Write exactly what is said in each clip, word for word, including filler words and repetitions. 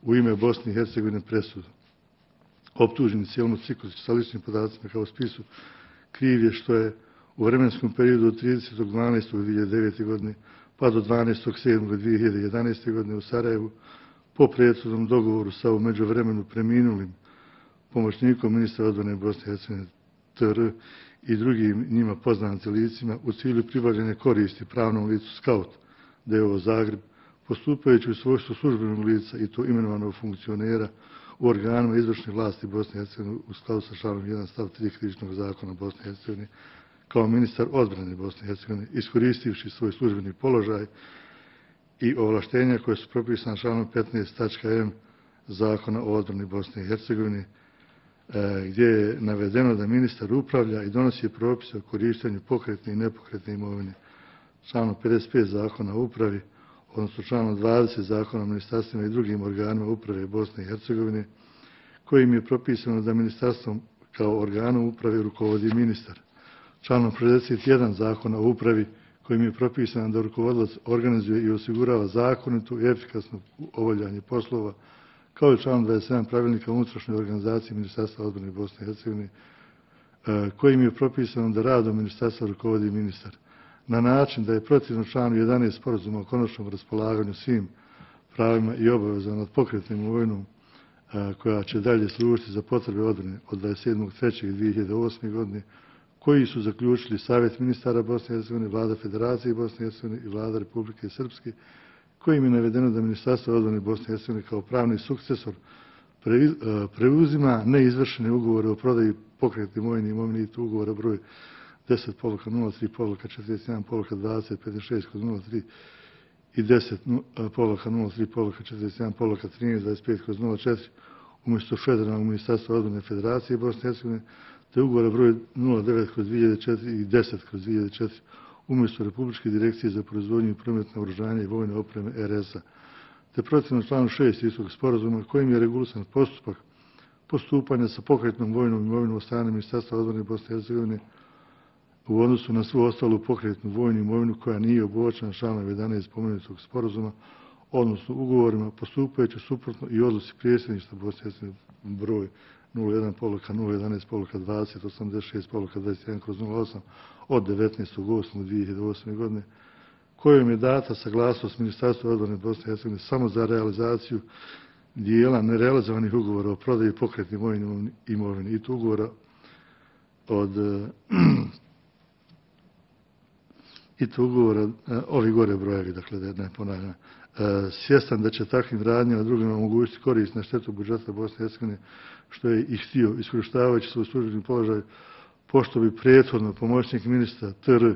u ime Bosne i Hercegovine presudu. Optuženi cijelom ciklusu sa ličnim podacima kao spisu kriv je što je u vremenskom periodu od tridesetog dvanaestog dvije hiljade devete. godine pa do dvanaestog sedmog dvije hiljade jedanaeste. godine u Sarajevu po prethodnom dogovoru sa u međuvremenu preminulim pomoćnikom ministra odbrane Bosne i Hercegovine T R i drugim njima poznatim licima u cilju pribavljanja koristi pravnom licu Skaut D O O Zagreb, postupajući u svojstvu službenog lica i to imenovanog funkcionera u organima izvršne vlasti Bosne i Hercegovine u skladu sa članom jedan stav tri Krivičnog zakona Bosne i Hercegovine kao ministar odbrane Bosne i Hercegovine, iskoristivši svoj službeni položaj i ovlaštenja koje su propisane članom petnaest tačka M Zakona o odbrani Bosne i Hercegovine, gdje je navedeno da ministar upravlja i donosi propise o korištenju pokretne i nepokretne imovine. Članom pedeset pet Zakona o upravi, odnosno članom dvadeset Zakona o ministarstvima i drugim organima uprave Bosne i Hercegovine, kojim je propisano da ministarstvom kao organom uprave rukovodi ministar. Članom šezdeset jedan Zakona o upravi, kojim je propisano da rukovodilac organizuje i osigurava zakonito i efikasno obavljanje poslova, kao i članom dvadeset sedam Pravilnika o unutrašnjoj organizaciji Ministarstva odbrane Bosne i Hercegovine, kojim je propisano da radom ministarstva rukovodi ministar, na način da je protivno članu jedanaest Sporazuma o konačnom raspolaganju svim pravima i obavezama nad pokretnom imovinom koja će dalje služiti za potrebe odbrane od dvadeset sedmog trećeg dvije hiljade osme. godine, koji su zaključili Savjet ministara Bosne i Hercegovine, Vlada Federacije Bosne i Hercegovine i Vlada Republike Srpske, kojim je navedeno da Ministarstvo odbrane Bosne i Hercegovine kao pravni sukcesor preuzima neizvršene ugovore o prodaji pokretne imovine i imovine i to ugovora broj deset nula tri četrdeset jedan dvadeset pedeset šest nula tri i deset nula tri četrdeset jedan trinaest dvadeset pet nula četiri umjesto Federalnog ministarstva odbrane Federacije Bosne i Hercegovine, te ugovora broj nula devet dvije hiljade četiri i deset dvije hiljade četiri umjesto Republičke direkcije za proizvodnju i promet naoružanja i vojne opreme R S A, te protivno članu šest istog sporazuma kojim je regulisan postupak postupanja sa pokretnom vojnom imovinom od strane Ministarstva odbrane Bosne i Hercegovine u odnosu na svu ostalu pokretnu vojnu imovinu koja nije obuhvaćena članom jedanaest spomenutog sporazuma, odnosno ugovorima postupajući suprotno i odluci predsjedništva Bosne i Hercegovine broj nula jedan nula jedanaest dvadeset osamdeset šest dvadeset jedan nula osam od devetnaestog osmog dvije hiljade osme. godine, kojom je data saglasnost Ministarstva odbrane Bosne i Hercegovine samo za realizaciju dijela nerealizovanih ugovora o prodaji pokretne vojne imovine i to ugovora od i to ugovora ovi gore brojevi, dakle da ne ponavljam. Svjestan da će takvim radnjama drugima omogućiti korist na štetu budžeta Bosne i Hercegovine, što je i htio, iskorištavajući svoj službeni položaj, pošto bi prethodno pomoćnik ministra T R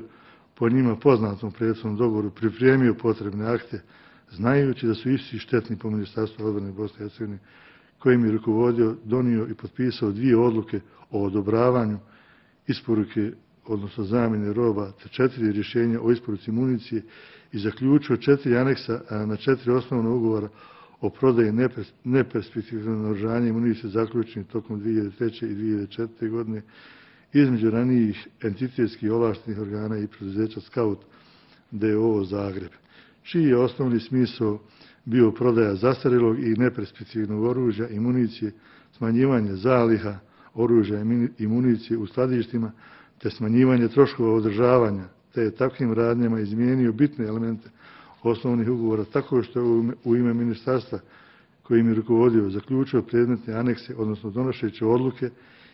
po njima poznatom prethodnom dogovoru pripremio potrebne akte, znajući da su isti štetni po Ministarstvu odbrane Bosne i Hercegovine, kojim je rukovodio, donio i potpisao dvije odluke o odobravanju isporuke, odnosno zamjene roba, te četiri rješenja o isporuci municije i zaključio četiri aneksa na četiri osnovna ugovora o prodaji neperspektivnog naoružanja i municije zaključenih tokom dvije hiljade treće i dvije hiljade četvrte. godine između ranijih entitetskih ovlaštenih organa i preduzeća Skaut D O O Zagreb, čiji je osnovni smisao bio prodaja zastarjelog i neperspektivnog oružja i municije, smanjivanje zaliha oružja i municije u skladištima, te smanjivanje troškova održavanja, te je takvim radnjama izmijenio bitne elemente osnovnih ugovora, tako što je u ime ministarstva kojim je rukovodio zaključio predmetne anekse, odnosno donošeće odluke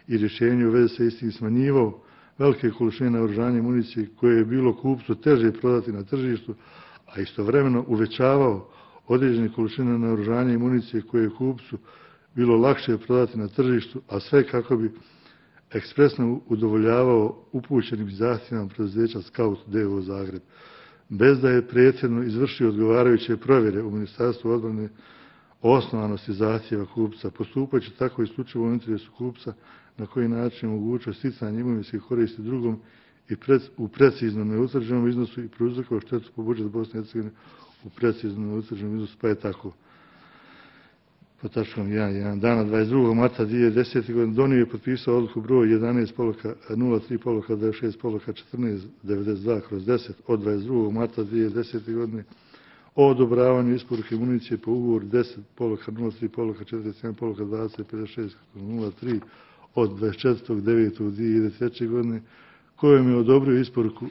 i rješenje u vezi sa istim smanjivao velike količine naoružanja i municije koje je bilo kupcu teže prodati na tržištu, a istovremeno uvećavao određene količine naoružanja i municije koje je kupcu bilo lakše prodati na tržištu, a sve kako bi ekspresno udovoljavao upućenim zahtjevima preduzeća Skaut D O O Zagreb, bez da je prethodno izvršio odgovarajuće provjere u Ministarstvu odbrane o osnovanosti zahtjeva kupca, postupajući tako isključivo u interesu kupca na koji način omogućuje sticanje imovinske koristi drugom i pred, u precizno neutvrđenom iznosu i prouzrokovao štetu po budžetu Bosne i Hercegovine u precizno neutvrđenom iznosu, pa je tako. Po tačkom jedan dana dvadeset drugog marta dvije hiljade desete. godine donio je potpisao odluku broj jedanaest nula tri dvadeset šest četrnaest devedeset dva kroz deset od dvadeset drugog marta dvije hiljade desete. godine o odobravanju isporuke municije po ugovoru deset poluka nula tri poluka četrdeset sedam poluka dvadeset pedeset šest nula tri od dvadeset četvrtog devetog dvije hiljade treće. godine, kojom je odobrio isporuku e,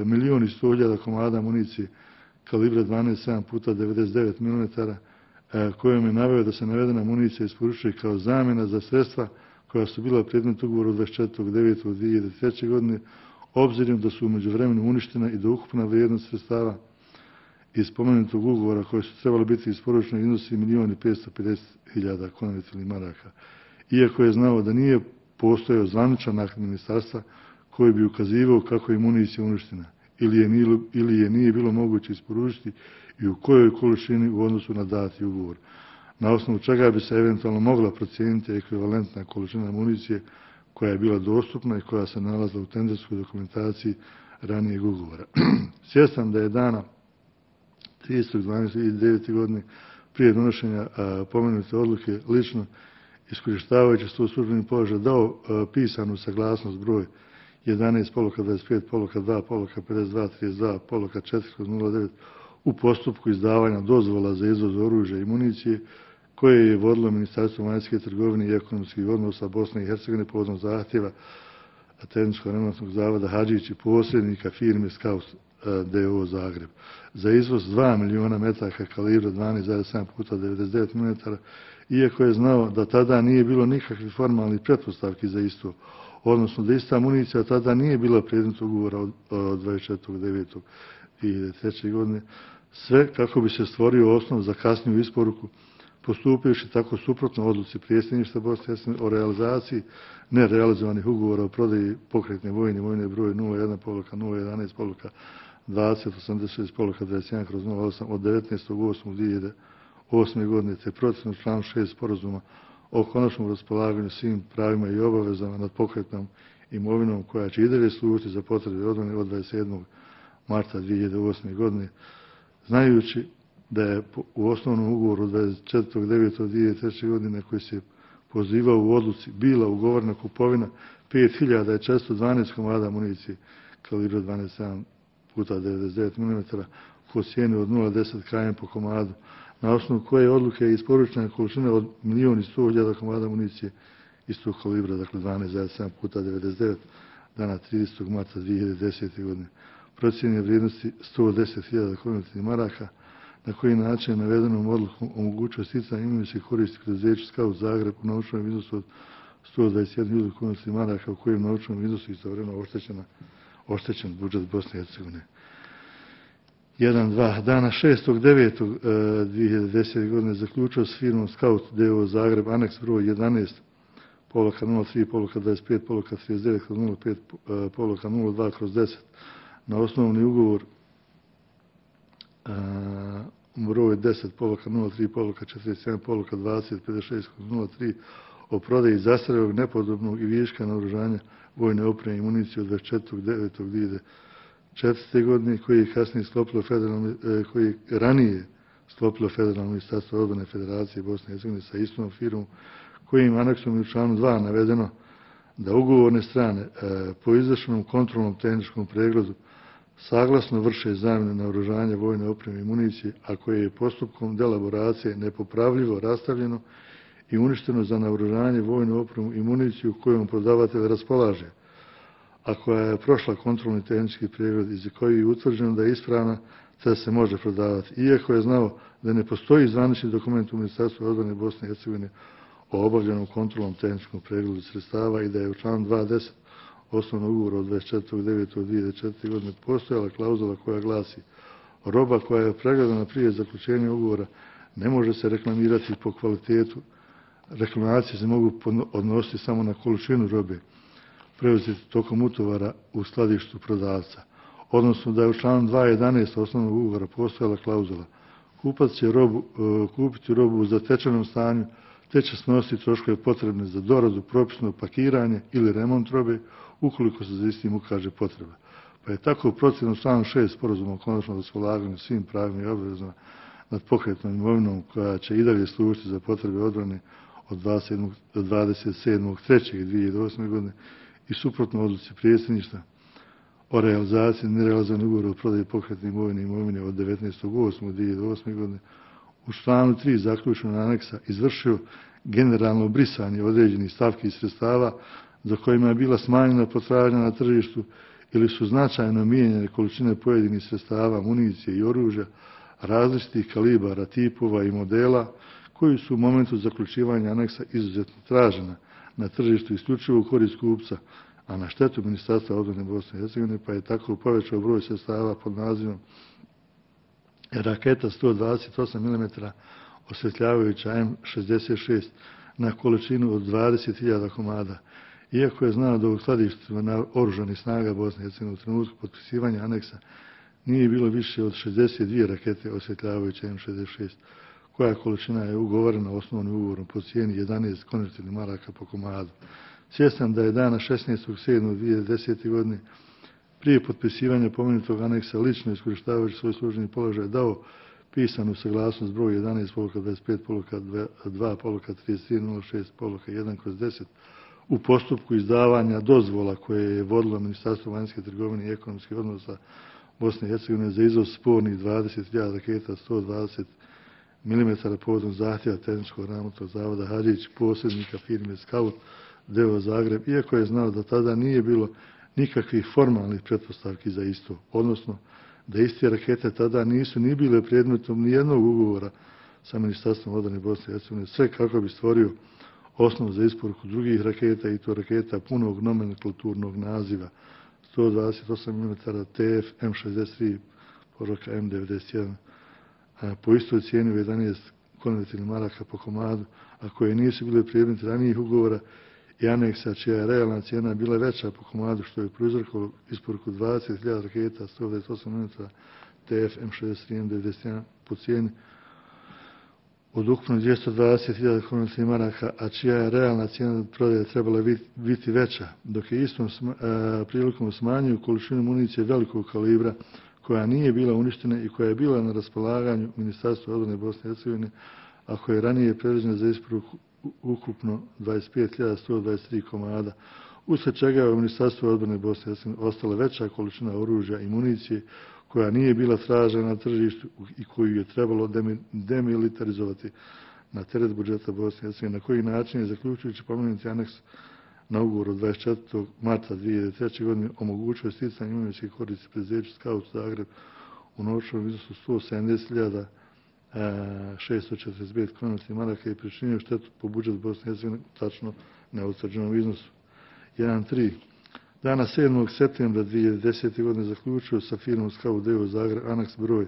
milion i sto hiljada komada municije kalibra dvanaest sedam puta devedeset devet milimetara, e, kojom je naveo da se navedena municija isporučuje kao zamjena za sredstva koja su bila predmet ugovora od dvadeset četvrtog devetog dvije hiljade treće. godine, obzirom da su u međuvremenu uništena i da ukupna vrijednost sredstava iz spomenutog ugovora koje su trebali biti isporučene iznosi milion i petsto pedeset hiljada konvertibilnih maraka. Iako je znao da nije postojao zvaničan akt ministarstva koji bi ukazivao kako je municija uništena ili je, nije, ili je nije bilo moguće isporučiti i u kojoj količini u odnosu na dati ugovor, na osnovu čega bi se eventualno mogla procijeniti ekvivalentna količina municije koja je bila dostupna i koja se nalazila u tenderskoj dokumentaciji ranijeg ugovora. Svjestan da je dana tridesetog dvanaestog dvije hiljade devete. godine prije donošenja a, pomenute odluke lično iskorištavajući svoj službeni položaj dao a, pisanu saglasnost broj jedanaest poluka dvadeset pet poluka dva poluka pedeset dva trideset dva poluka četiri nula devet u postupku izdavanja dozvola za izvoz oružja i municije koje je vodilo Ministarstvo vanjske trgovine i ekonomskih odnosa Bosne i Hercegovine povodom zahtjeva Tehničko-remontnog zavoda Hadžić i posrednika firme Scout D O Zagreb za izvoz dva miliona metaka kalibra dvanaest zarez sedam puta devedeset devet milimetara, iako je znao da tada nije bilo nikakvih formalnih pretpostavki za isto, odnosno da ista municija tada nije bila predmet ugovora od dvadeset četvrtog devetog dvije hiljade treće. godine, sve kako bi se stvorio osnov za kasniju isporuku, postupivši tako suprotno odluci predsjedništva Bosne i Hercegovine o realizaciji nerealizovanih ugovora o prodaji pokretne vojne imovine broj nula jedan poluka nula jedanaest poluka dvadeset osamdeset šest poluka dvadeset jedan kroz nula osam od devetnaestog osmog dvije hiljade osme. godine, te procjenu članu šest sporazuma o konačnom raspolaganju svim pravima i obavezama nad pokretnom imovinom koja će i dalje služiti za potrebe odbrane od dvadeset sedmog marta dvije hiljade osme. godine, znajući da je u osnovnom ugovoru dvadeset četvrtog devetog dvije hiljade treće. godine koji se pozivao u odluci bila ugovorna kupovina pet hiljada četiristo dvanaest komada municije kalibra dvanaest sedam puta devedeset devet milimetara po cijeni od nula zarez deset km po komadu, na osnovu koje odluke je isporučena količina od milion i sto hiljada komada municije istog kalibra, dakle dvanaest zarez sedam puta devedeset devet, dana tridesetog marta dvije hiljade desete. godine. Procijenjene vrijednosti sto deset hiljada konvertibilnih maraka, na koji način je navedenom odlukom omogućio sticanje imovinskih koristi preduzeću Scout Zagreb u novčanom iznosu od sto dvadeset jedan hiljada konvertibilnih maraka, u kojem novčanom iznosu istovremeno oštećena oštećen budžet Bosne i Hercegovine. jedan dva. Dana šestog devetog dvije hiljade desete. godine zaključio s firmom Scout D O Zagreb aneks broj jedanaest poluka nula tri poluka dvadeset pet poluka trideset devet kroz nula pet poluka nula dva kroz deset na osnovni ugovor a, broj deset poluka nula tri poluka četrdeset sedam poluka dvadeset pedeset šest kroz nula tri o prodaji zastarjelog, nepodobnog i viška naoružanja vojne opreme i municije od dvadeset četvrtog devetog dvije hiljade četvrte. godine koji je kasnije sklopilo federalno, koji je ranije sklopilo Federalno ministarstvo odbrane Federacije Bosne i Hercegovine sa istom firmom, kojim aneksom u članu dva navedeno da ugovorne strane po izvršenom kontrolnom tehničkom pregledu saglasno vrše zamjenu naoružanja vojne opreme i municije, a koje je postupkom delaboracije nepopravljivo rastavljeno i uništeno za naoružanje vojnu opremu i municiju kojom prodavatelj raspolaže, a koja je prošla kontrolni tehnički pregled iz koji je utvrđeno da je ispravna, te se može prodavati. Iako je znao da ne postoji zvanični dokument u Ministarstvu odbrane Bosne i Hercegovine o obavljenom kontrolnom tehničkom pregledu sredstava i da je u članu dva deset osnovnog ugovora od dvadeset četvrtog devetog dvije hiljade četvrte. godine postojala klauzula koja glasi: roba koja je pregledana prije zaključenja ugovora ne može se reklamirati po kvalitetu. Reklamacije se mogu odnositi samo na količinu robe preuzeti tokom utovara u skladištu prodavca. Odnosno da je u članu dva jedanaest osnovnog ugovora postojala klauzula: kupac će robu, kupiti robu u zatečenom stanju, te će snositi troškove potrebne za doradu, propisno pakiranje ili remont robe ukoliko se za istim ukaže potreba. Pa je tako procjena u članu šest sporazuma o konačnom raspolaganju svim pravima i obavezama nad pokretnom imovinom koja će i dalje služiti za potrebe odbrane od dvadeset sedmog trećeg dvije hiljade osme. godine i suprotno odluci predsjedništva o realizaciji nerealizovanog ugovora o prodaji pokretne imovine i imovine od devetnaestog osmog dvije hiljade osme. godine u članu tri zaključenog aneksa izvršio generalno brisanje određenih stavki i sredstava za kojima je bila smanjena potražnja na tržištu ili su značajno mijenjane količine pojedinih sredstava, municije i oružja različitih kalibara, tipova i modela koji su u momentu zaključivanja aneksa izuzetno tražena na tržištu isključivo u korist kupca, a na štetu Ministarstva odbrane Bosne i Hercegovine, pa je tako povećao broj sredstava pod nazivom raketa sto dvadeset osam milimetara osvetljavajuća M šezdeset šest na količinu od dvadeset hiljada komada. Iako je znao da u skladištima oružanih snaga Bosne i Hercegovine u trenutku potpisivanja aneksa nije bilo više od šezdeset dvije rakete osvetljavajuće M šezdeset šest, koja količina je ugovorena osnovnim ugovorom po cijeni jedanaest konvertibilnih maraka po komadu. Svjestan da je dana šesnaestog sedmog dvije hiljade desete. godine prije potpisivanja pomenutog aneksa lično iskorištavajući svoj službeni položaj dao pisanu saglasnost broj jedanaest poluka dvadeset pet poluka dva poluka trideset tri nula šest poluka jedan kroz deset u postupku izdavanja dozvola koje je vodilo Ministarstvo vanjske trgovine i ekonomskih odnosa Bosne i Hercegovine za izvoz spornih dvadeset hiljada raketa sto dvadeset milimetara povodom zahtjeva tehničkog ravnatelja zavoda Hadžić, posrednika firme Scout d o o Zagreb, iako je znao da tada nije bilo nikakvih formalnih pretpostavki za isto, odnosno da iste rakete tada nisu ni bile predmetom nijednog ugovora sa Ministarstvom odbrane Bosne i Hercegovine, sve kako bi stvorio osnov za isporuku drugih raketa i to raketa punog nomenklaturnog naziva sto dvadeset osam milimetara T F M šezdeset tri poruka M devedeset jedan po istoj cijeni u jedanaest konvertibilnih maraka po komadu, a koje nisu bile predmet ranijih ugovora i aneksa čija je realna cijena bila veća po komadu, što je prouzrokovalo isporuku dvadeset hiljada raketa sto dvadeset osam milimetara T F M šezdeset tri M devedeset jedan po cijeni od ukupno dvjesto dvadeset hiljada konvertibilnih maraka, a čija je realna cijena prodaje trebala biti veća, dok je istom sma, a, prilikom smanjuju količinu municije velikog kalibra koja nije bila uništena i koja je bila na raspolaganju Ministarstva odbrane Bosne i Hercegovine, a koja je ranije predviđena za isporuku ukupno dvadeset pet hiljada sto dvadeset tri komada, usled čega je u Ministarstvu odbrane Bosne i Hercegovine ostala veća količina oružja i municije koja nije bila tražena na tržištu i koju je trebalo demilitarizovati na teret budžeta Bosne i Hercegovine, na koji način je zaključujući pomenuti aneks na ugovor od dvadeset četvrtog marta dvije hiljade treće. godine omogućuje sticanje imovinske koristi preduzeću Scout Zagreb u novčanom iznosu sto sedamdeset hiljada šesto četrdeset pet konvertibilnih maraka i pričinio štetu po budžet Bosne i Hercegovine tačno neutvrđenom iznosu. jedan tri. Dana sedmog septembra dvije hiljade desete. godine zaključio sa firmom Scout d o o Zagreb aneks broj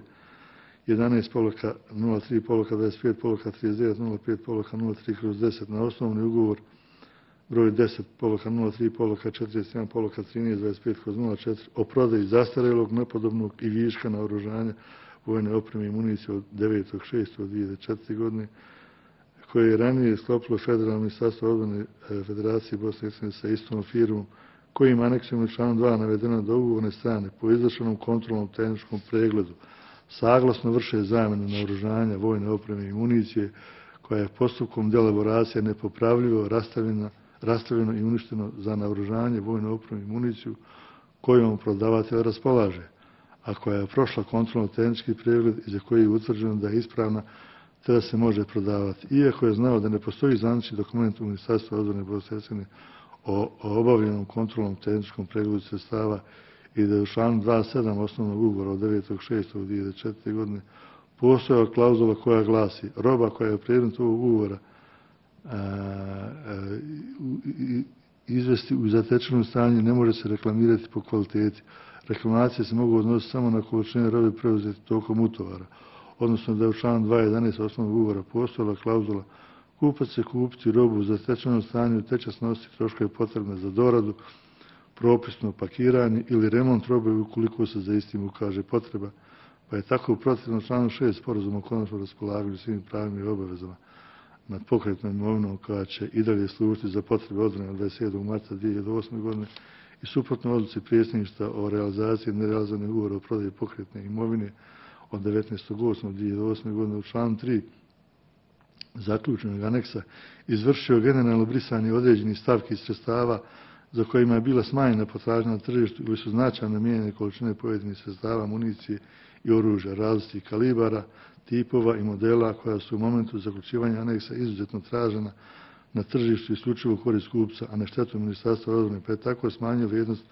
jedanaest poluka nula tri poluka dvadeset pet poluka trideset devet nula pet poluka nula tri kroz deset na osnovni ugovor broj deset poluka nula tri poluka četrdeset jedan poluka trinaest dvadeset pet kroz nula četiri o prodaji zastarelog, nepodobnog i viška naoružanja, vojne opreme i municije od devetog šestog dvije hiljade četvrte. godine, koje je ranije sklopilo Federalno ministarstvo odbrane Federacije Bosne i Hercegovine sa istom firmom, kojim aneksom je članom dva navedeno da ugovorne strane po izvršenom kontrolnom tehničkom pregledu saglasno vrše zamjenu naoružanja, vojne opreme i municije, koja je postupkom delaboracije nepopravljivo rastavljena rastavljeno i uništeno za naoružanje, vojnu opremu i municiju kojom prodavatelj raspolaže, a koja je prošla kontrolno-tehnički pregled i za koji je utvrđeno da je ispravna te da se može prodavati. Iako je znao da ne postoji zvanični dokument u Ministarstvu odbrane Bosne i Hercegovine o, o obavljenom kontrolnom tehničkom pregledu sredstava i da je u članu dvadeset sedam osnovnog ugovora od devetog šestog dvije hiljade četvrte. godine postojala klauzula koja glasi: roba koja je predmet ovog ugovora a, a, izvesti u zatečenom stanju ne može se reklamirati po kvaliteti. Reklamacije se mogu odnositi samo na količine robe preuzeti tokom utovara, odnosno da je u članu dva jedanaest osnovnog ugovora postojala klauzula: kupac će kupiti robu u zatečenom stanju te će snositi troškove potrebne za doradu, propisno pakiranje ili remont robe ukoliko se za istim ukaže potreba, pa je tako u protivnom članu šest sporazuma o konačnom raspolaganju svim pravima i obavezama nad pokretnom imovinom koja će i dalje služiti za potrebe odbrane od dvadeset sedmog marta dvije hiljade osme. godine i suprotno odluci predsjedništva o realizaciji nerealizovanih ugovora o prodaji pokretne imovine od devetnaestog osmog dvije hiljade osme. godine u članu tri zaključenog aneksa izvršio generalno brisanje određenih stavki i sredstava za kojima je bila smanjena potražnja na tržištu ili su značajno mijenjene količine pojedinih sredstava, municije i oružja različitih kalibara, tipova i modela koja su u momentu zaključivanja aneksa izuzetno tražena na tržištu isključivo u korist kupca, a na štetu Ministarstva odbrane, pa je tako smanjio vrijednost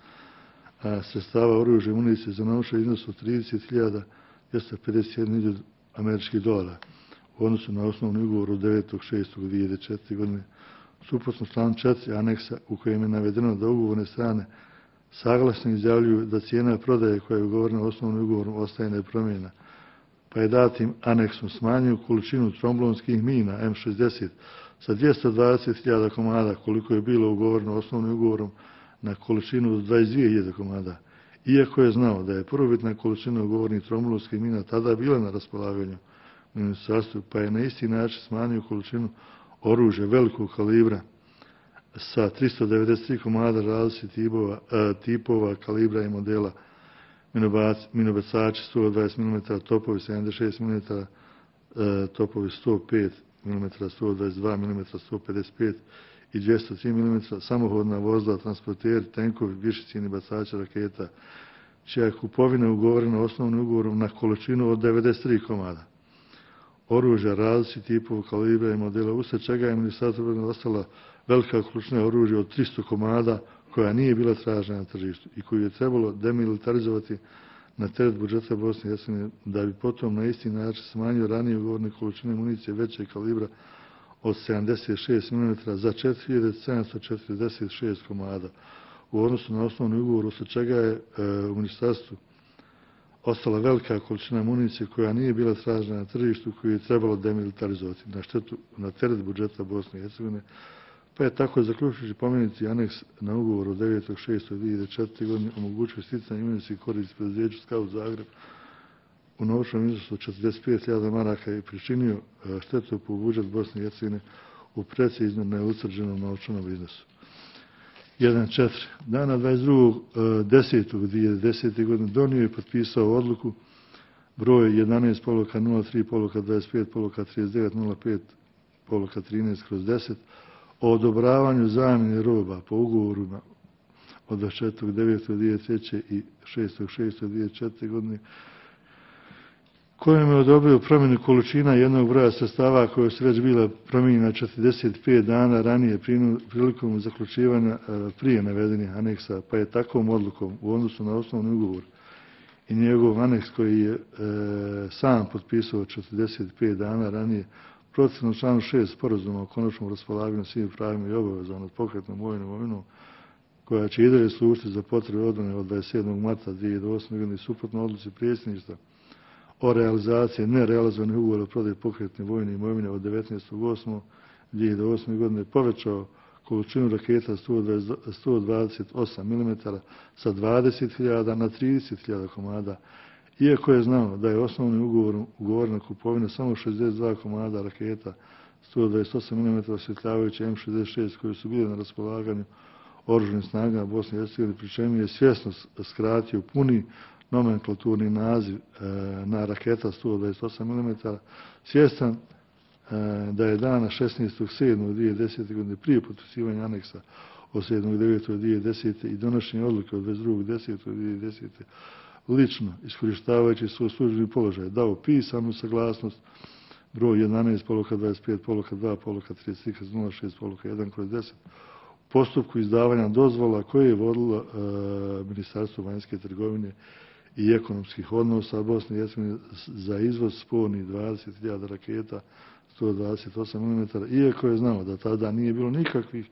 sredstava oružja i municije za novčani iznos od trideset hiljada dvjesto pedeset jedan američkih dolara u odnosu na osnovni ugovor od devetog šestog dvije hiljade četvrte. godine. Suprotno članu četiri aneksa u kojem je navedeno da ugovorne strane saglasno izjavljuju da cijena prodaje koja je ugovorena osnovnim ugovorom ostaje nepromijenjena, pa je datim aneksom smanjio količinu tromblonskih mina M šezdeset sa dvjesto dvadeset hiljada komada koliko je bilo ugovoreno osnovnim ugovorom na količinu od dvadeset dvije hiljade komada. Iako je znao da je prvobitna količina ugovornih tromblonskih mina tada bila na raspolaganju ministarstvu, pa je na isti način smanjio količinu oružja velikog kalibra sa tristo devedeset tri komada različitih tipova, tipova, kalibra i modela, minobacači sto dvadeset milimetara, topovi sedamdeset šest milimetara, topovi sto pet milimetara, sto dvadeset dva milimetara, sto pedeset pet i dvjesto tri milimetra, samohodna vozila, transporteri, tenkovi, višecijeni bacači raketa, čija je kupovina ugovorena osnovnim ugovorom na količinu od devedeset tri komada. Oružja različitih tipova, kalibra i modela, usred čega je Ministarstvo obrane ostala velika količina oružja od tristo komada koja nije bila tražena na tržištu i koju je trebalo demilitarizovati na teret budžeta Bosne i Hercegovine, da bi potom na isti način smanjio ranije ugovorne količine municije većeg kalibra od sedamdeset šest milimetara za četiri hiljade sedamsto četrdeset šest komada u odnosu na osnovni ugovor, usred čega je e, u ministarstvu ostala velika količina municije koja nije bila tražena na tržištu, koju je trebalo demilitarizovati na štetu na teret budžeta Bosne i Hercegovine, pa je tako zaključujući pomenuti aneks na ugovor od devetog šestog dvije hiljade četvrte. godine omogućio sticanje imovinskih koristi preduzeću Scout Zagreb u novčanom iznosu od četrdeset pet hiljada maraka i pričinio štetu po budžet Bosne i Hercegovine u precizno neutvrđenom novčanom iznosu. jedan četiri. Dana dvadeset drugog desetog dvije hiljade desete. godine donio je potpisao odluku broj jedanaest poluka nula tri poluka dvadeset pet poluka trideset devet nula pet poluka trinaest kroz deset o odobravanju zamjene roba po ugovorima od dvadeset četvrtog devetog dvije hiljade treće. i šestog šestog dvije hiljade četvrte. godine kojom je odobrio promjenu količina jednog broja sredstava koje su već bila promijenjena četrdeset pet dana ranije prilikom zaključivanja prije navedenih aneksa, pa je takvom odlukom u odnosu na osnovni ugovor i njegov aneks koji je e, sam potpisao četrdeset pet dana ranije protivno članu šest sporazuma o konačnom raspolaganju svim pravima i obavezama nad pokretnom vojnom imovinom koja će i dalje služiti za potrebe odbrane od dvadeset sedmog marta dvije hiljade osme. godine suprotno odluci predsjedništva o realizaciji nerealizovanih ugovora o prodaji pokretne vojne imovine od devetnaestog osmog dvije hiljade osme. godine povećao količinu raketa sto dvadeset osam milimetara sa dvadeset hiljada na trideset hiljada komada, iako je znao da je osnovnim ugovorom ugovorena kupovina samo šezdeset dva komada raketa sto dvadeset osam milimetara osvjetljavajuće M šezdeset šest koje su bile na raspolaganju oružanim snagama Bosne i Hercegovine, pri čemu je svjesno skratio puni nomenklaturni naziv e, na raketa sto dvadeset osam milimetara, svjestan e, da je dana šesnaestog sedmog dvije hiljade desete. godine prije potpisivanja aneksa od sedmog devetog dvije hiljade desete. i donošenja odluke od dvadeset drugog desetog dvije hiljade desete. lično, iskorištavajući svoj službeni položaj, dao pisanu saglasnost broj jedanaest poluka dvadeset pet poluka dva poluka trideset tri kroz nula šest poluka jedan kroz deset u postupku izdavanja dozvola koje je vodilo e, Ministarstvo vanjske trgovine i ekonomskih odnosa Bosne i Hercegovine za izvoz spornih dvadeset hiljada raketa sto dvadeset osam milimetara, iako je znao da tada nije bilo nikakvih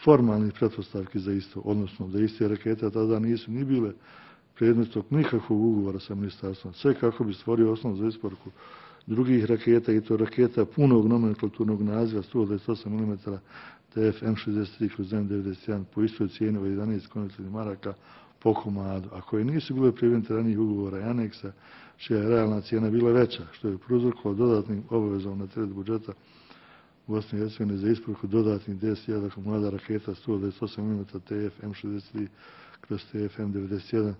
formalnih pretpostavki za isto, odnosno da iste rakete tada nisu ni bile predmetom nikakvog ugovora sa ministarstvom, sve kako bi stvorio osnovu za isporuku drugih raketa i to raketa punog nomenklaturnog naziva sto dvadeset osam milimetara T F M šezdeset tri kroz M devedeset jedan po istoj cijeni od jedanaest konvertibilnih maraka po komadu, a koje nisu bile predmete ranijih ugovora i aneksa, čija je realna cijena bila veća, što je prouzrokovalo dodatnim obavezom na teret budžeta Bosne i Hercegovine za isporuku dodatnih deset hiljada komada raketa sto dvadeset osam milimetara T F M šezdeset tri kroz T F M devedeset jedan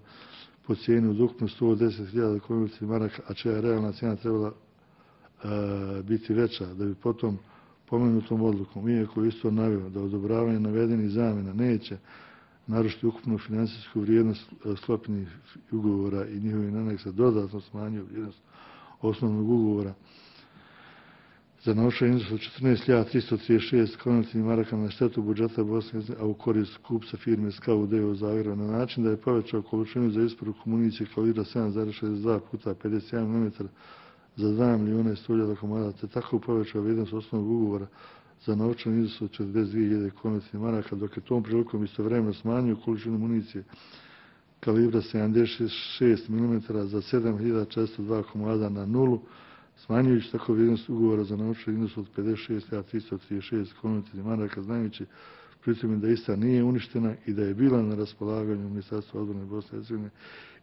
po cijeni od ukupno sto deset hiljada konvertibilnih maraka, a čija je realna cijena trebala e, biti veća, da bi potom pomenutom odlukom, iako isto naveo da odobravanje navedenih zamjena neće naročito ukupnu financijsku vrijednost sklopljenih ugovora i njihovih aneksa dodatno smanjio vrijednost osnovnog ugovora za novčani iznos od četrnaest hiljada tristo trideset šest konvertibilnih maraka na štetu budžeta Bosne i Hercegovine, a u korist kupca firme Scout d.o.o. Zagreba na način da je povećao količinu za isporuku municije kalibra sedam zarez šezdeset dva puta pedeset jedan milimetar za dva milijuna i sto hiljada komada, te tako povećao vrijednost osnovnog ugovora za novčani iznos od četrdeset dvije hiljade konvertibilnih maraka, dok je tom prilikom istovremeno smanjio količinu municije kalibra sedamdeset šest milimetara za sedam hiljada četiristo dva komada na nulu, smanjujući tako vrijednost ugovora za novčani iznos od pedeset šest hiljada tristo trideset šest konvertibilnih maraka, znajući pritom da ista nije uništena i da je bila na raspolaganju Ministarstva odbrane Bosne i Hercegovine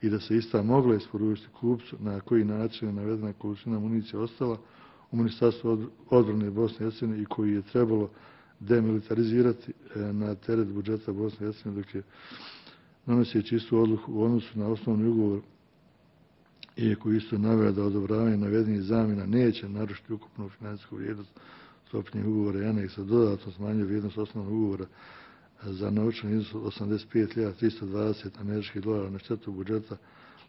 i da se ista mogla isporučiti kupcu, na koji način je navedena količina municije ostala u Ministarstvu odbrane Bosne i Hercegovine i koji je trebalo demilitarizirati na teret budžeta Bosne i Hercegovine, dok je donoseći istu odluku u odnosu na osnovni ugovor, iako isto naveo da odobravanje navedenih zamjena neće narušiti ukupnu financijsku vrijednost sklopljenih ugovora i aneksa, dodatno smanjio vrijednost osnovnog ugovora za novčani iznos od osamdeset pet hiljada tristo dvadeset američkih dolara na štetu budžeta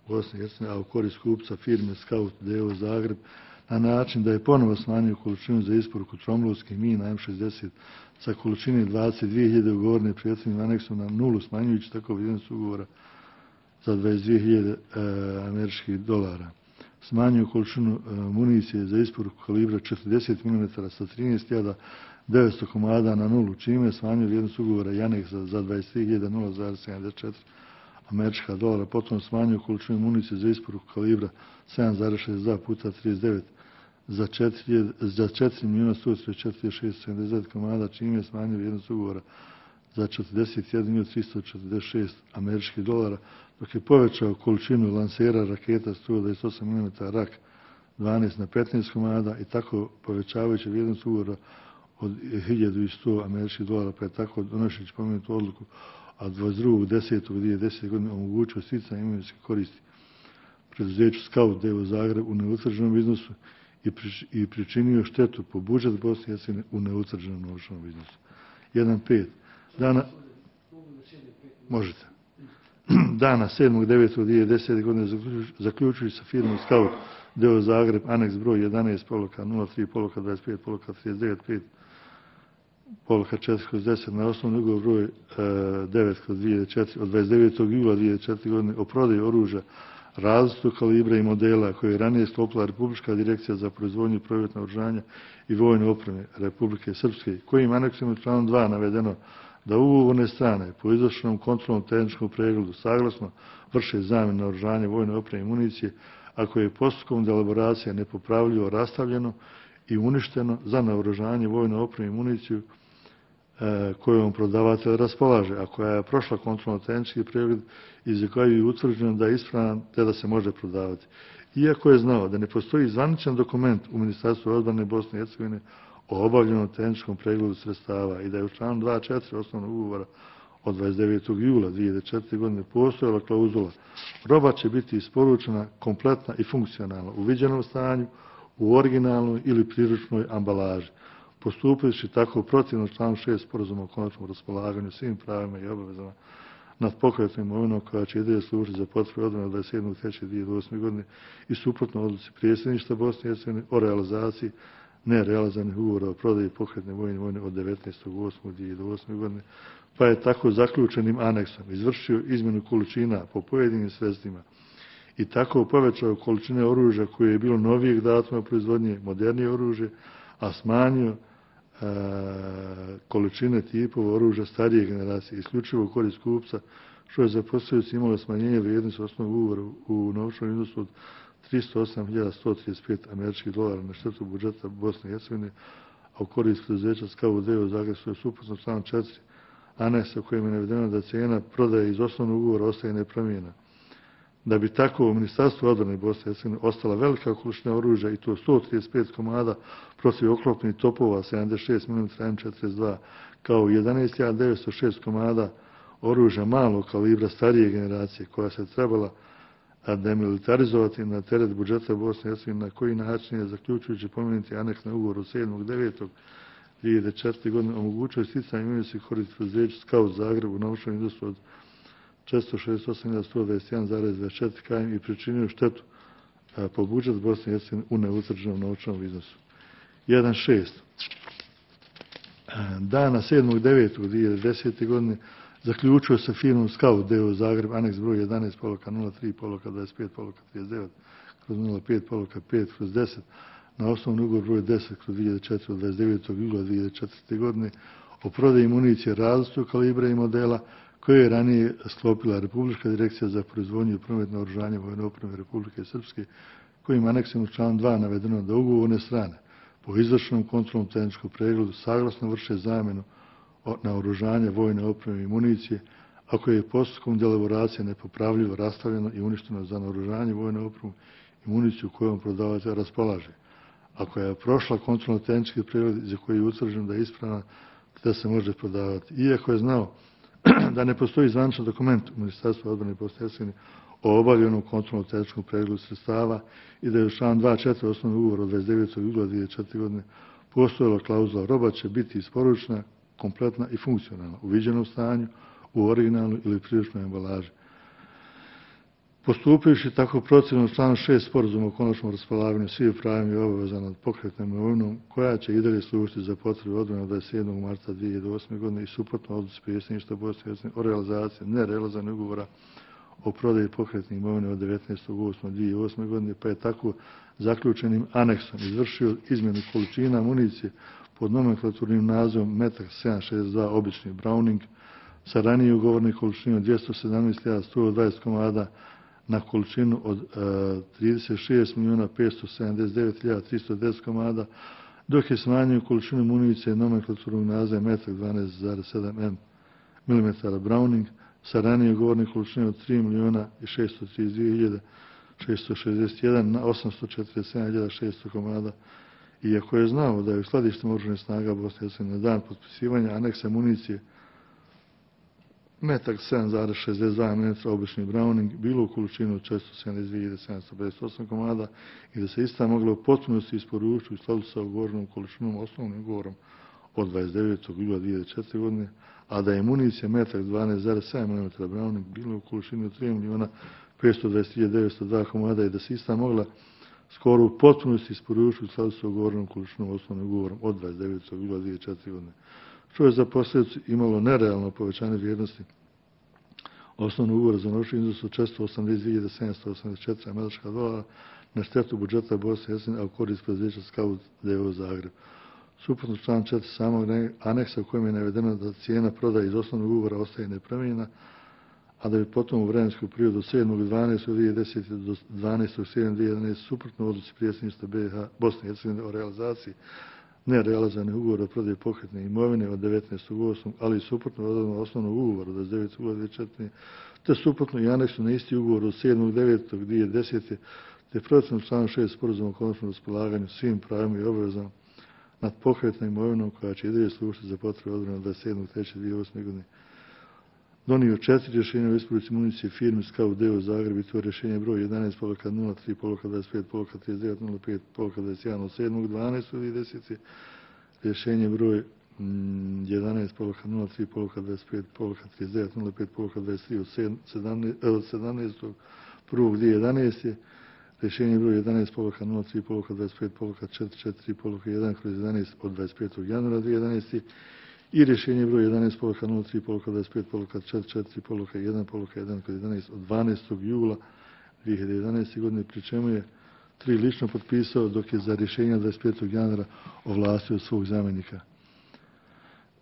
Bosne i Hercegovine, a u korist kupca firme Scout d.o.o. Zagreb, na način da je ponovo smanjio količinu za isporuku tromlovskih mina M šezdeset sa količine dvadeset dvije hiljade ugovorene prethodnim aneksom na nulu, smanjujući tako vrijednost ugovora za dvadeset dvije hiljade e, američkih dolara. Smanjio količinu e, municije za isporuku kalibra četrdeset milimetara sa trinaest hiljada devetsto komada na nulu, čime je smanjio vrijednost ugovora i aneksa za dvadeset tri hiljade nula zarez sedamdeset četiri američka dolara, potom smanjio količinu municije za isporuku kalibra sedam zarez šezdeset dva puta trideset devet za četiri milijuna sto trideset četiri hiljade šesto sedamdeset devet komada, čime je smanjio vrijednost ugovora za četrdeset jedan milijun tristo četrdeset šest američkih dolara, dok je povećao količinu lansera raketa sto dvadeset osam milimetara rak dvanaest na petnaest komada i tako povećavajući vrijednost ugovora od hiljadu sto američkih dolara, pa je tako donošeći pomenutu odluku, a dvadeset drugog desetog dvije hiljade desete. godine omogućio sticanje imovinske koristi preduzeću Scout d.o.o. Zagreb u neutvrđenom iznosu i, prič, i pričinio štetu po budžet Bosne i Hercegovine u neutvrđenom novčanom iznosu. jedan pet. Dana... Možete. Dana sedmog devetog dvije hiljade desete. godine zaključujući sa firmom Scout d.o.o. Zagreb, aneks broj jedanaest poluka nula tri poluka dvadeset pet poluka trideset devet pet poluka četiri kroz deset na osnovni ugovor broj e, devet kroz dvije hiljade četiri od dvadeset devetog jula dvije hiljade četvrte. godine o prodaji oružja različitog kalibra i modela koje je ranije sklopila Republička direkcija za proizvodnju i promet naoružanja i vojne opreme Republike Srpske, kojim aneksom je članom dva navedeno da ugovorne strane po izvršenom kontrolnom tehničkom pregledu saglasno vrše zamjenu naoružanja, vojne opreme i municije, ako je postupkom elaboracija nepopravljivo rastavljeno i uništeno za naoružanje, vojne opreme i municiju e, kojom prodavatelj raspolaže, a koja je prošla kontrolno tehnički pregled i za koju je utvrđeno da je ispravan te da se može prodavati. Iako je znao da ne postoji zvaničan dokument u Ministarstvu odbrane Bosne i Hercegovine o obavljenom tehničkom pregledu sredstava i da je u članu dva četiri osnovnog ugovora od dvadeset devetog jula dvije hiljade četvrte. godine postojala klauzula roba će biti isporučena kompletna i funkcionalna u viđenom stanju, u originalnoj ili priručnoj ambalaži, postupajući tako protivno članu šest sporazuma o konačnom raspolaganju svim pravima i obavezama nad pokretnom imovinom koja će i dalje služiti za potrebe odbrane od dvadeset sedmog trećeg dvije hiljade osme. godine i suprotno odluci predsjedništva Bosne i Hercegovine o realizaciji nerealizovanih ugovora o prodaji pokretne vojne imovine od devetnaestog osmog dvije hiljade osme. godine, pa je tako zaključenim aneksom izvršio izmjenu količina po pojedinim sredstvima i tako povećao količine oružja koje je bilo novijeg datuma proizvodnje, modernije oružje, a smanjio e, količine tipova oružja starije generacije, isključivo u korist kupca, što je za posljedicu imalo smanjenje vrijednosti osnovnog ugovora u novčanom iznosu od tristo osam hiljada sto trideset pet američkih dolara na štetu budžeta Bosne i Hercegovine, a u korist preduzeća Scout d.o.o. Zagreb, što je suprotno članom četiri aneksa u kojem je navedeno da cijena prodaje iz osnovnog ugovora ostaje nepromijena. Da bi tako u Ministarstvu odbrane Bosne i Hercegovine ostala velika količina oružja i to sto trideset pet komada protiv oklopnih topova sedamdeset šest milimetara M četrdeset dva kao jedanaest hiljada devetsto šest komada oružja malog kalibra starije generacije koja se trebala demilitarizovati na teret budžeta Bosne i Hercegovine, na koji način je zaključujući pomenuti aneks na ugovor od sedmog devetog dvije hiljade četvrte. godine omogućuje sticanje imovinske koristi preduzeću Scout Zagreb u novčanom iznosu od četiristo šezdeset osam hiljada sto dvadeset jedan zarez dvadeset četiri km i pričinio štetu a, po budžet Bosne i Hercegovine u neutvrđenom novčanom iznosu. jedan šest. Dana sedmog devetog dvije hiljade desete. godine zaključio sa firmom Scout d o o Zagreb, aneks broj jedanaest poluka nula tri poluka dvadeset pet poluka trideset devet kroz nula pet poluka pet kroz deset na osnovni ugovor broj deset kroz dvije hiljade četvrte. od dvadeset devetog jula dvije hiljade četvrte. godine o prodaji municije različitog kalibra i modela koje je ranije sklopila Republička direkcija za proizvodnju i promet naoružanja vojne opreme Republike Srpske, kojim aneksom u članu dva navedeno da ugovorne strane po izvršenom kontrolnom tehničkom pregledu saglasno vrše zamjenu naoružanja vojne opreme i municije, ako je postupkom delaboracije nepopravljivo rastavljeno i uništeno za naoružanje vojne opreme i municiju kojom prodavatelj raspolaže. Ako je prošla kontrolno tehnički pregled za koji je utvrđeno da je ispravna, da se može prodavati. Iako je znao da ne postoji zvaničan dokument u Ministarstvu odbrane i Bosne i Hercegovine o obavljenom kontrolnom tehničkom pregledu sredstava i da je u članu dva četiri osnovnog ugovora od dvadeset devetog jula dvije hiljade četvrte. godine postojala klauzula roba će biti isporučena, kompletna i funkcionalna, u viđenom stanju, u originalnoj ili priličnoj embalaži. Postupajući tako procjenom članu šest sporazuma o konačnom raspolaganju svih pravima i obaveza nad pokretnom imovinom, koja će i dalje služiti za potrebe odbrane od dvadeset sedmog marta dvije hiljade osme. godine i suprotno odluci predsjedništva Bosne i Hercegovine o realizaciji nerealizovanih ugovora o prodaji pokretne imovine od devetnaestog osmog dvije hiljade osme. godine, pa je tako zaključenim aneksom izvršio izmjenu količina municije pod nomenklaturnim nazivom Metak sedam šezdeset dva obični Browning sa ranije ugovornih količinom dvjesto sedamnaest hiljada sto dvadeset komada na količinu od uh, trideset šest milijuna petsto sedamdeset devet hiljada tristo deset komada, dok je smanjio količinu municije nomenklaturnog naziva Metak dvanaest zarez sedam milimetara Browning sa ranije ugovornih količinom od tri milijuna šesto trideset dvije hiljade šesto šezdeset jedan na osamsto četrdeset sedam hiljada šesto komada. Iako je znao da je u skladištima oružanih snaga Bosne i Hercegovine na dan potpisivanja aneksa municije Metak sedam zarez šezdeset dva milimetra obični Browning bilo u količinu od četiristo sedamdeset dvije hiljade sedamsto pedeset osam komada i da se ista mogla u potpunosti isporučiti u skladu sa ugovornom količinom osnovnim ugovorom od dvadeset devetog jula dvije hiljade četvrte. godine, a da je municija Metak dvanaest zarez sedam milimetara Browning bilo u količini od tri milijuna petsto dvadeset hiljada devetsto dva komada i da se ista mogla skoro u potpunosti isporučiti u skladu sa ugovornom količinom osnovnim ugovorom od dvadeset devetog jula dvije hiljade četvrte. godine. Što je za posljedicu imalo nerealno povećanje vrijednosti osnovnog ugovora za novčani iznos od četiristo osamdeset dvije hiljade sedamsto osamdeset četiri američka dolara na štetu budžeta Bosne i Hercegovine, a u korist preduzeća Scout d o o Zagreb. Suprotno član četiri samog aneksa u kojem je navedeno da cijena prodaje iz osnovnog ugovora ostaje nepromijenjena, a da bi potom u vremenskom periodu od sedmog dvanaestog dvije hiljade desete. do dvanaestog sedmog dvije hiljade jedanaeste. suprotno odluci predsjedništva B iH Bosne i Hercegovine o realizaciji nerealizane ugovora o prodaji pokretne imovine od devetnaestog osmog ali i suprotno odredbama osnovnog ugovora od dvadeset devetog jula dvije hiljade četvrte. te suprotno i aneksu na isti ugovor od sedmog devetog dvije hiljade desete. te procjenom članu šest sporazuma o konačnom raspolaganju svim pravima i obavezama nad pokretnom imovinom koja će i dalje služiti za potrebe odbrane od dvadeset sedmog trećeg dvije hiljade osme. godine. Donio četiri rješenja o isporuci municije firmi Scout d o o Zagreb i to rješenje broj jedanaest poluka nula tri poluka dvadeset pet poluka trideset devet nula pet poluka dvadeset jedan od sedmog dvanaestog dvije hiljade desete. Rješenje broj jedanaest poluka nula tri poluka dvadeset pet poluka trideset devet nula pet poluka dvadeset tri od sedamnaestog prvog dvije hiljade jedanaeste. Rješenje broj jedanaest poluka nula tri poluka dvadeset pet poluka četiri četiri poluka jedan kroz jedanaest od dvadeset petog januara dvije hiljade jedanaeste. i rješenje broj jedanaest poluka nula tri poluka dvadeset pet poluka četiri četiri poluka jedan poluka jedan kroz jedanaest od dvanaestog jula dvije hiljade jedanaeste. godine, pri čemu je tri lično potpisao, dok je za rješenja dvadeset petog januara ovlastio svog zamjenika.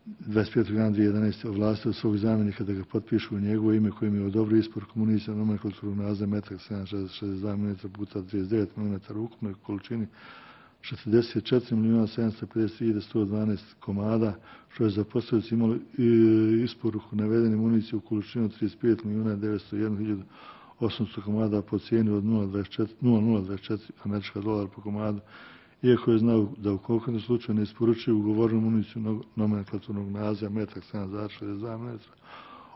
dvadeset petog januara dvije hiljade jedanaeste. ovlastio svog zamjenika da ga potpišu u njegovo ime kojim je odobrio isporuku municije nomenklaturnog naziva Metak sedam zarez šezdeset dva milimetra puta trideset devet milimetara u ukupnoj količini četrdeset četiri milijuna sedamsto pedeset hiljada sto dvanaest komada, što je za posljedicu imalo isporuku navedene municije u količini od trideset pet milijuna devetsto jedan hiljadu osamsto komada po cijeni od nula zarez dvadeset četiri američka dolara po komadu, iako je znao da u konkretnom slučaju ne isporučuje ugovornu municiju nomenklaturnog naziva Metak sedam zarez šezdeset dva milimetra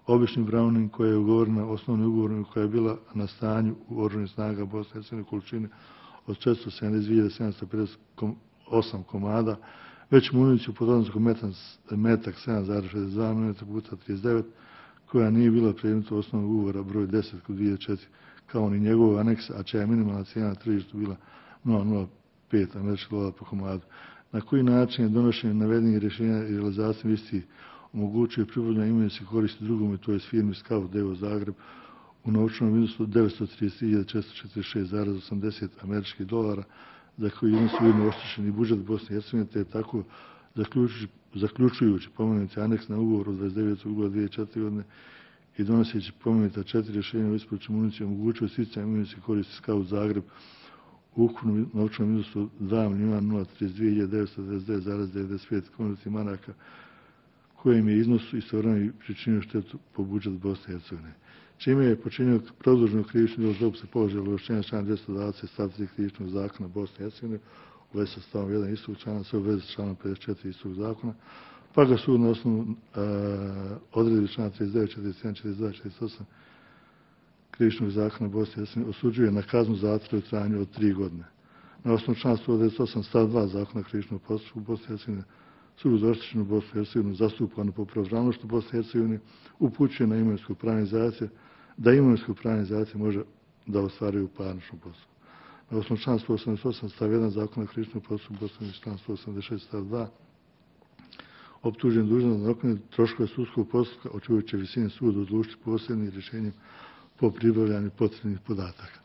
obični Browning koja je ugovorena osnovnim ugovorom koja je bila na stanju u oružanih snaga Bosne i Hercegovine količine od četiristo sedamdeset dvije hiljade sedamsto pedeset osam komada, već municiju pod odnoskom metak sedam zarez šezdeset dva milimetra puta trideset devet, koja nije bila predmet osnovnog ugovora broj deset kod dvije hiljade četiri, kao ni njegovog aneksa, a čija je minimalna cijena na tržištu bila nula zarez nula pet američkih dolara po komadu. Na koji način je donošenje navedenih rješenja i realizacijom istih omogućuje pribavljanje imovinske koristi drugome, to je firmi Scout Devo Zagreb, u novčanom iznosu devetsto trideset tri hiljade četiristo četrdeset šest zarez osamdeset američkih dolara, za koji iznos ujedno oštećeni budžet Bosne i Hercegovine, te je tako zaključujući, zaključujući pomenuti aneks na ugovor od dvadeset devetog jula dvije hiljade četvrte. godine i donoseći pomenuta četiri rješenja o isporuci municije omogućuje sticanje imovinske koristi Scout Zagreb u ukupnom novčanom iznosu dva milijuna nula trideset dvije hiljade devetsto devedeset devet zarez devedeset pet konvertnih maraka, kojim je iznos istovremeno pričinio štetu po budžet Bosne i Hercegovine. Čime je počinio produženo krivično djelo zloupotrebe položaja ovlašćenja člana dvjesto dvadeset stavak tri krivičnog zakona Bosne i Hercegovine u vezi sa stavom jedan istog člana, sve u vezi sa članom pedeset četiri istog zakona, pa ga sud na osnovu uh, odredbi člana trideset devet, četrdeset jedan, četrdeset dva, četrdeset osam krivičnog zakona Bosne i Hercegovine osuđuje na kaznu zatvora u trajanju od tri godine. Na osnovu člana sto devedeset osam stav dva zakona krivičnog postupka Bosne i Hercegovine, sud za oštećenu Bosnu i Hercegovinu zastupanu po pravnošću Bosne i Hercegovine upućuje na imovinsku pravnizaciju da imovinsku pravnizaciju može da ostvaruje u parničnom postupku. Na osnovu člana sto osamdeset osam stav jedan zakona krivičnog postupka Bosne i član sto osamdeset šest stav dva optužen dužan da nadoknadi troškove sudskog postupka, o čijoj će visini sud odlučiti posebnim rješenjem po pribavljanju potrebnih podataka.